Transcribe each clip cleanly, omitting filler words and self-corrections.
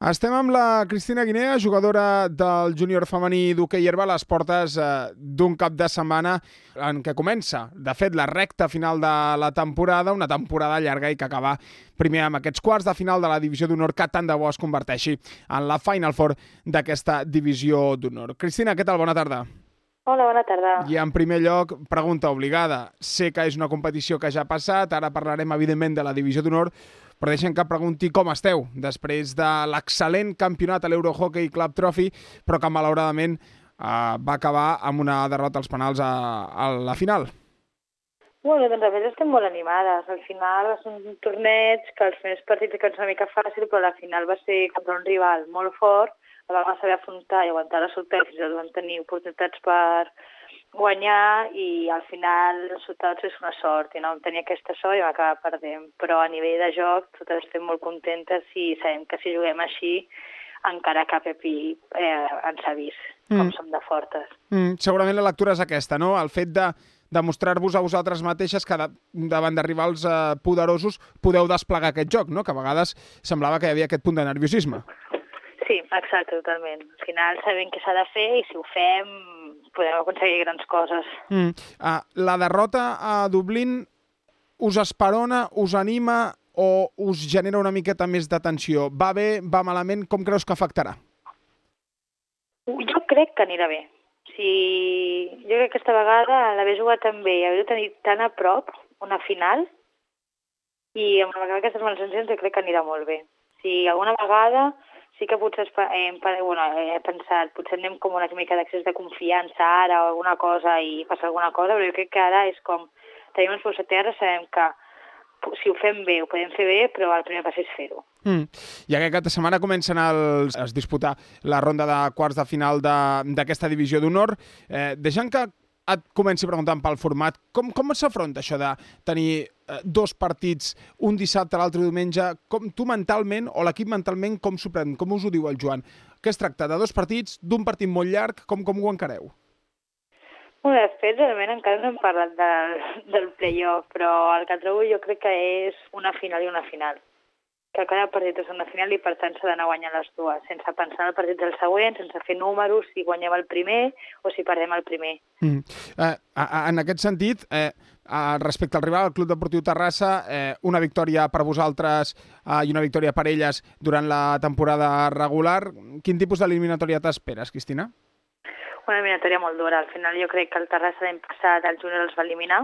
Estem amb la Cristina Guinea, jugadora del júnior femení d'hoquei herba, a les portes d'un cap de setmana en què comença, de fet, la recta final de la temporada, una temporada llarga i que acaba primer amb aquests quarts de final de la divisió d'honor que tant de bo es converteixi en la Final Four d'aquesta divisió d'honor. Cristina, què tal? Bona tarda. Hola, bona tarda. I en primer lloc, pregunta obligada. Sé que és una competició que ja ha passat, ara parlarem evidentment de la divisió d'honor, però deixem que pregunti com esteu després de l'excel·lent campionat a l'Eurohockey Club Trophy, però que malauradament va acabar amb una derrota als penals a la final. Bueno, doncs a més estem molt animades. Al final va ser un torneig que els primers partits que una mica fàcil, però la final va ser contra un rival molt fort, la vam saber afrontar i aguantar la sortida, fins i tot vam tenir oportunitats per guanyar i al final el resultat és una sort i no vam tenir aquesta sort i vam acabar perdent, però a nivell de joc totes estem molt contentes i sabem que si juguem així encara cap equip ens ha vist com som de fortes. Segurament la lectura és aquesta, no? El fet de demostrar-vos a vosaltres mateixes que davant de rivals poderosos podeu desplegar aquest joc, no? Que a vegades semblava que hi havia aquest punt de nerviosisme. Sí, exacte, totalment. Al final sabem què s'ha de fer i si ho fem podem aconseguir grans coses. La derrota a Dublín us esperona, us anima o us genera una miqueta més de tensió? Va bé, va malament? Com creus que afectarà? Jo crec que anirà bé. Jo crec que aquesta vegada l'haver jugat tan bé i haver-ho tenit tan a prop, una final, i amb aquestes males sensacions jo crec que anirà molt bé. Si alguna vegada sí que potser he pensat, potser anem com una mica d'accés de confiança ara o alguna cosa i passa alguna cosa, però jo crec que ara és com tenim els peus a terra, sabem que si ho fem bé, ho podem fer bé, però el primer pas és fer-ho. I aquesta setmana comencen a disputar la ronda de quarts de final d'aquesta divisió d'honor. Deixant que et comenci preguntant pel format, com s'afronta això de tenir dos partits, un dissabte, l'altre diumenge? Com tu mentalment, o l'equip mentalment, com s'ho pren? Com us ho diu el Joan? Què es tracta? De dos partits, d'un partit molt llarg? Com ho encareu? Bueno, de fet, realment encara no hem parlat del play-off, però el que trobo jo crec que és una final i una final. Que cada partit és una final i per tant s'ha d'anar guanyant les dues, sense pensar en el partit del següent, sense fer números, si guanyem el primer o si perdem el primer. En aquest sentit, respecte al rival, el Club Deportiu Terrassa, una victòria per vosaltres i una victòria per elles durant la temporada regular. Quin tipus d'eliminatòria t'esperes, Cristina? Una eliminatòria molt dura. Al final jo crec que el Terrassa l'any passat el júnior els va eliminar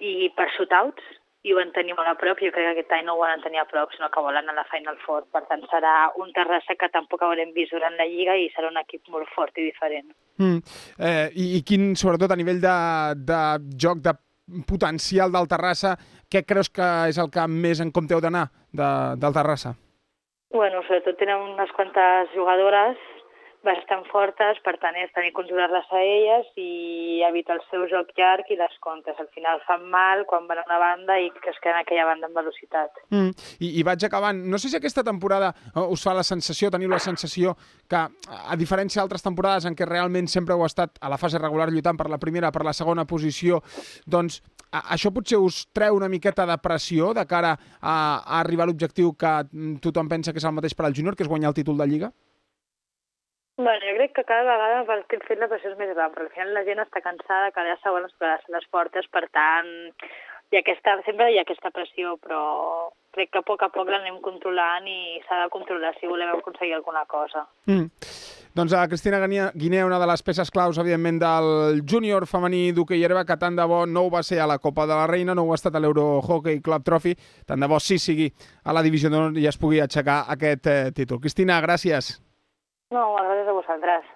i per shootouts, i ho van tenir molt a prop, jo crec que aquest any no ho volen tenir a prop, sinó que volen a la Final Four. Per tant, serà un Terrassa que tampoc haurem vist durant la Lliga i serà un equip molt fort i diferent. I quin, sobretot a nivell de joc, de potencial del Terrassa, què creus que és el que més en compte heu d'anar del Terrassa? Bueno, sobretot tenen unes quantes jugadores bastant fortes, per tant és tenir que controlar-les a elles i evitar el seu joc llarg i les contres. Al final fan mal quan van a una banda i que es queden a aquella banda amb velocitat. I vaig acabant. No sé si aquesta temporada us fa la sensació, teniu la sensació que, a diferència d'altres temporades en què realment sempre heu estat a la fase regular lluitant per la primera, per la segona posició, doncs això potser us treu una miqueta de pressió de cara a arribar a l'objectiu que tothom pensa que és el mateix per al júnior, que és guanyar el títol de Lliga? Bueno, jo crec que cada vegada pel fet la pressió és més gran, però al final la gent està cansada que cada segon es quedarà a les portes, per tant, sempre hi ha aquesta pressió, però crec que a poc l'anem controlant i s'ha de controlar si volem aconseguir alguna cosa. Doncs a Cristina Guinea, una de les peces claus, evidentment, del júnior femení d'hoquei herba, que tant de bo no ho va ser a la Copa de la Reina, no ho ha estat a l'Eurohockey Club Trophy, tant de bo sí sigui a la divisió d'honor i es pugui aixecar aquest títol. Cristina, gràcies. No, gràcies a vosaltres.